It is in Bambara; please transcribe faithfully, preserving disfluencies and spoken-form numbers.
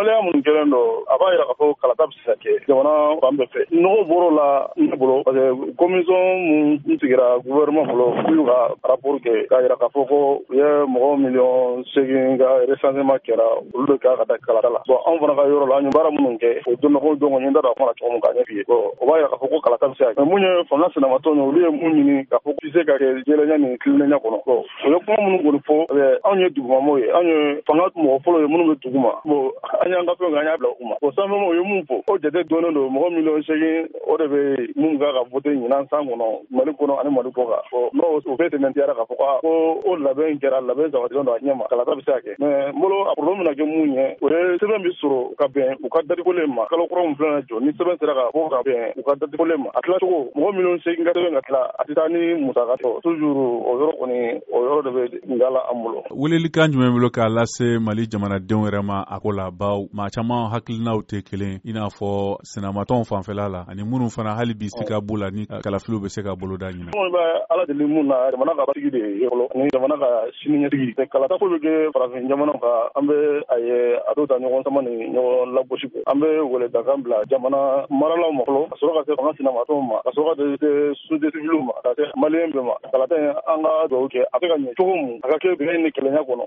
Waleya minnu kɛlen don, a b'a jira k'a fɔ kalata bɛ se ka kɛ jamana fan bɛɛ fɛ. Nɔgɔ bɔr'o la ne bolo, parce que commission mun sigira gouvernement bolo k'u y'u ka rapport kɛ k'a jira k'a fɔ ko u ye mɔgɔ miliyɔn seegin ka recensement kɛra, olu de kan ka taa kalata la. Bon, anw fana ka yɔrɔ la, an ye baara minnu kɛ, o donna ko donc n da don a kuma na cogo min k'a ɲɛf'i ye. Bon, o b'a jira k'a fɔ ko kalata bɛ se ka kɛ. Mais mun ye fanga sinamatɔnw ye, olu ye mun ɲini k'a fɔ se ka kɛ jɛlenya ni tilennenya kɔnɔ. Bon, u ye kuma minnu kɔni fɔ, anw ye dugumamɔgɔw ye, anw ye fanga mɔgɔ fɔlɔ ye minnu bɛ dugu ma. Bon, an y'an ka fɛnw kɛ, an y'a bila u ma. Bon, sanfɛmɔgɔw ye mun fɔ, o jate dɔnnen don, mɔgɔ miliyɔn seegin o de bɛ mun kan ka voter ɲinan san kɔnɔ Mali kɔnɔ ani Mali kɔ kan. Bon, n'o o bɛɛ tɛmɛntiyara k'a fɔ ko o labɛn kɛra, labɛn sabatilen don a ɲɛ ma, kalata bɛ se ka kɛ. Mais n bolo, a problème bɛna kɛ mun ye, o ye sɛbɛn bɛ sɔrɔ ka bɛn u ka date kolen ma. Kalo kura min filɛ na jɔ ni sɛbɛn sera ka bɔ ka bɛn u ka date kolen ma, a tilacogo, mɔgɔ miliyɔn seegin ka sɛbɛn ka tila, a tɛ taa ni musaka tɔ toujours. O yɔrɔ kɔni, o yɔrɔ de bɛ nga la an bolo. Welelikan jumɛn bolo k'a lase Mali jamanadenw yɛrɛ ma a ko la, baw maa caman hakilinaw tɛ kelen, i n'a fɔ sinamatɔnw fanfɛla la ani minnu fana hali bi sika b'u la ni kalafiliw bɛ se ka boloda ɲinɛ? Kɔni bɛ Ala deli mun na, jamana ka basigi de ye fɔlɔ ani jamana ka siniɲɛsigi. Kalata ko bɛ kɛ farafin jamanaw kan, an bɛ a ye a dɔw ta ɲɔgɔn sama ni ɲɔgɔn lagosi kɔ. An bɛ weledakan bila jamana maralaw ma fɔlɔ, ka sɔrɔ ka se fanga sinamatɔnw ma, ka sɔrɔ ka se société civile ma, ka se maliyɛn bɛɛ ma. Kalata in, an ka dugawu kɛ a bɛ ka ɲɛ cogo mun, a ka kɛ bɛn ni kelenya kɔnɔ.